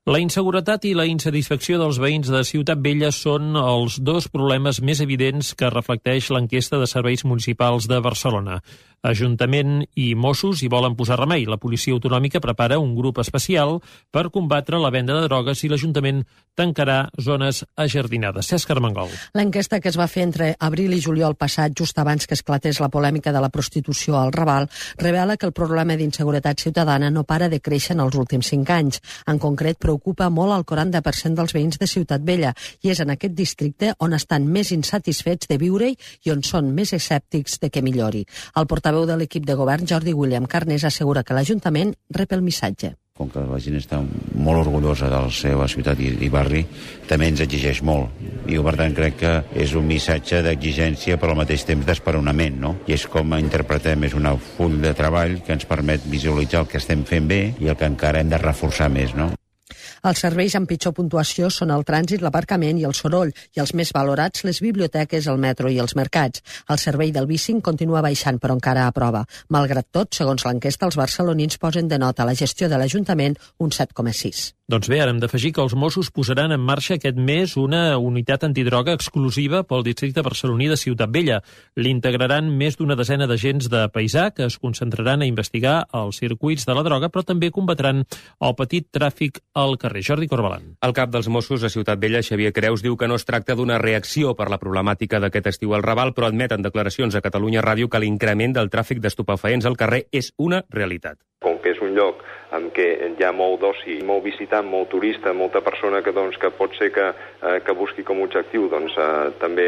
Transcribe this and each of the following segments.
La inseguretat i la insatisfacció dels veïns de Ciutat Vella són els dos problemes més evidents que reflecteix l'enquesta de serveis municipals de Barcelona. Ajuntament i Mossos hi volen posar remei. La policia autonòmica prepara un grup especial per combatre la venda de drogues i l'Ajuntament tancarà zones ajardinades. Cesc Armengol. L'enquesta que es va fer entre abril i juliol passat, just abans que esclatés la polèmica de la prostitució al Raval, revela que el problema d'inseguretat ciutadana no para de créixer en els últims 5 anys. En concret, preocupa molt el 40% dels veïns de Ciutat Vella i és en aquest districte on estan més insatisfets de viure-hi i on són més escèptics de que millori. El portaveu de l'equip de govern, Jordi William Carnés, assegura que l'Ajuntament rep el missatge. Com que la gent està molt orgullosa de la seva ciutat i barri, també ens exigeix molt. I per tant crec que és un missatge d'exigència però al mateix temps d'esperonament, no? I és com interpretem, és un full de treball que ens permet visualitzar el que estem fent bé i el que encara hem de reforçar més, no? Els serveis amb pitjor puntuació són el trànsit, l'aparcament i el soroll, i els més valorats les biblioteques, el metro i els mercats. El servei del bicing continua baixant, però encara a prova. Malgrat tot, segons l'enquesta, els barcelonins posen de nota a la gestió de l'Ajuntament un 7,6. Doncs bé, ara hem d'afegir que els Mossos posaran en marxa aquest mes una unitat antidroga exclusiva pel districte barceloní de Ciutat Vella. L'integraran més d'una desena d'agents de paisà que es concentraran a investigar els circuits de la droga, però també combatran el petit tràfic al carrer. Jordi Corbalan. El cap dels Mossos a Ciutat Vella, Xavier Creus, diu que no es tracta d'una reacció per la problemàtica d'aquest estiu al Raval, però admet en declaracions a Catalunya Ràdio que l'increment del tràfic d'estupefaents al carrer és una realitat. Com que és un lloc en què hi ha molt d'oci, molt visitant, molt turista, molta persona que pot ser que busqui com a objectiu també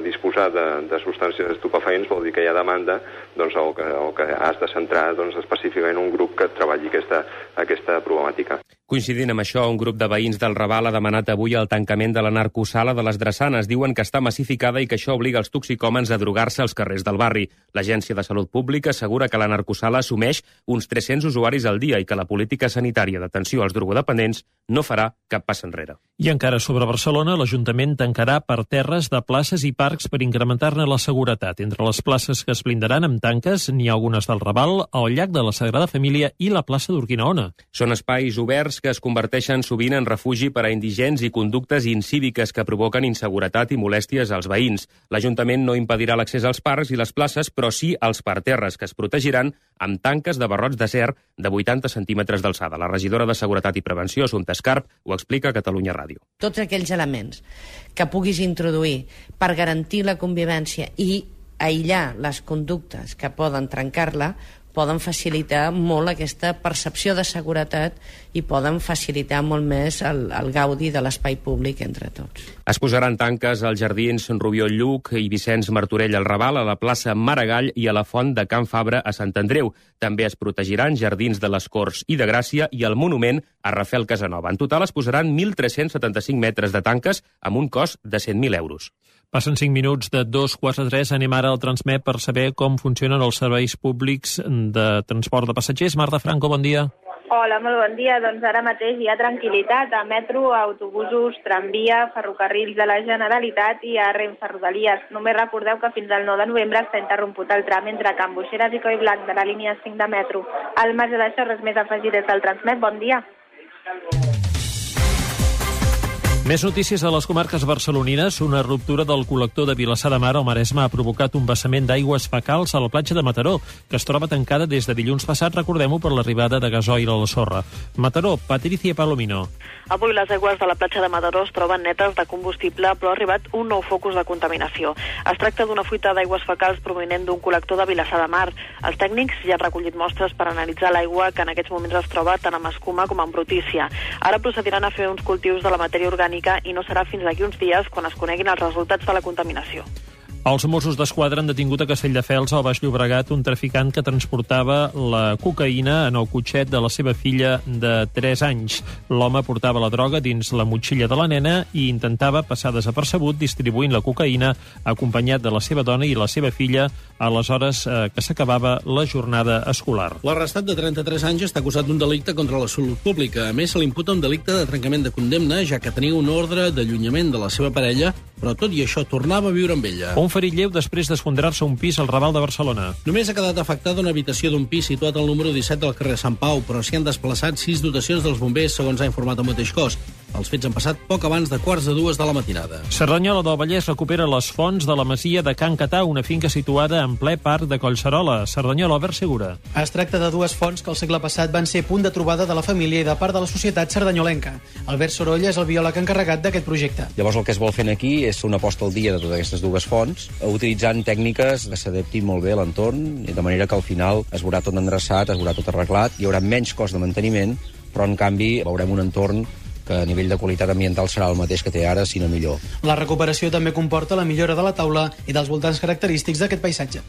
disposar de substàncies estupefaents, vol dir que hi ha demanda, o que has de centrar específicament un grup que treballi aquesta problemàtica. Coincidint amb això, un grup de veïns del Raval ha demanat avui el tancament de la narcosala de les Drassanes. Diuen que està massificada i que això obliga els toxicòmens a drogar-se als carrers del barri. L'Agència de Salut Pública assegura que la narcosala assumeix uns 300 usuaris al dia i que la política sanitària d'atenció als drogodependents no farà cap pas enrere. I encara sobre Barcelona, l'Ajuntament tancarà parterres de places i parcs per incrementar-ne la seguretat. Entre les places que es blindaran amb tanques n'hi ha algunes del Raval, el llac de la Sagrada Família i la plaça d'Urquinaona. Són espais oberts que es converteixen sovint en refugi per a indigents i conductes incíviques que provoquen inseguretat i molèsties als veïns. L'Ajuntament no impedirà l'accés als parcs i les places, però sí als parterres, que es protegiran amb tanques de barrots d'acer de 80 centímetres d'alçada. La regidora de Seguretat i Prevenció, Assumpta Escarp, ho explica a Catalunya Ràdio. Tots aquells elements que puguis introduir per garantir la convivència i aïllar les conductes que poden trencar-la poden facilitar molt aquesta percepció de seguretat i poden facilitar molt més el gaudi de l'espai públic entre tots. Es posaran tanques als jardins Rubió Lluc i Vicenç Martorell al Raval, a la plaça Maragall i a la font de Can Fabra a Sant Andreu. També es protegiran jardins de les Corts i de Gràcia i el monument a Rafael Casanova. En total es posaran 1.375 metres de tanques amb un cost de 100.000 euros. Passen 5 minuts de 2:43. Anem ara al Transmet per saber com funcionen els serveis públics de transport de passatgers. Marta Franco, bon dia. Hola, molt bon dia. Doncs ara mateix hi ha tranquil·litat a metro, autobusos, tramvia, ferrocarrils de la Generalitat i a Renfe Rodalies. Només recordeu que fins al 9 de novembre està interromput el tram entre Can Boixeres i Collblanc de la línia 5 de metro. Al marge d'això, res més a afegir des del Transmet. Bon dia. Més notícies a les comarques barcelonines. Una ruptura del col·lector de Vilassar de Mar al Maresme ha provocat un vessament d'aigües fecals a la platja de Mataró, que es troba tancada des de dilluns passat, recordem-ho, per l'arribada de gasoil a la sorra. Mataró, Patricia Palomino. Avui les aigües de la platja de Mataró es troben netes de combustible, però ha arribat un nou focus de contaminació. Es tracta d'una fuita d'aigües fecals provinent d'un col·lector de Vilassar de Mar. Els tècnics ja han recollit mostres per analitzar l'aigua, que en aquests moments es troba tant amb escuma com amb brutícia. Ara procediran a fer uns cultius de la matèria orgànica i no serà fins d'aquí uns dies quan es coneguin els resultats de la contaminació. Els Mossos d'Esquadra han detingut a Castelldefels, al Baix Llobregat, un traficant que transportava la cocaïna en el cotxet de la seva filla de 3 anys. L'home portava la droga dins la motxilla de la nena i intentava passar desapercebut distribuint la cocaïna acompanyat de la seva dona i la seva filla a les hores que s'acabava la jornada escolar. L'arrestat de 33 anys està acusat d'un delicte contra la salut pública. A més, se li imputa un delicte de trencament de condemna, ja que tenia un ordre d'allunyament de la seva parella però tot i això tornava a viure amb ella. Un ferit lleu després d'esfondrar-se un pis al Raval de Barcelona. Només ha quedat afectada una habitació d'un pis situat al número 17 del carrer Sant Pau, però s'hi han desplaçat 6 dotacions dels bombers, segons ha informat el mateix cos. Els fets han passat poc abans de 1:45 de la matinada. Cerdanyola del Vallès recupera les fonts de la masia de Can Catà, una finca situada en ple parc de Collserola. Cerdanyola, Albert Segura. Es tracta de dues fonts que el segle passat van ser punt de trobada de la família i de part de la societat cerdanyolenca. Albert Sorolla és el biòleg encarregat d'aquest projecte. Llavors el que es vol fer aquí és una posta al dia de totes aquestes dues fonts, utilitzant tècniques que s'adaptin molt bé a l'entorn, de manera que al final es veurà tot endreçat, es veurà tot arreglat, hi haurà menys cost de manteniment, però en canvi veurem un entorn que a nivell de qualitat ambiental serà el mateix que té ara, si no millor. La recuperació també comporta la millora de la taula i dels voltants característics d'aquest paisatge.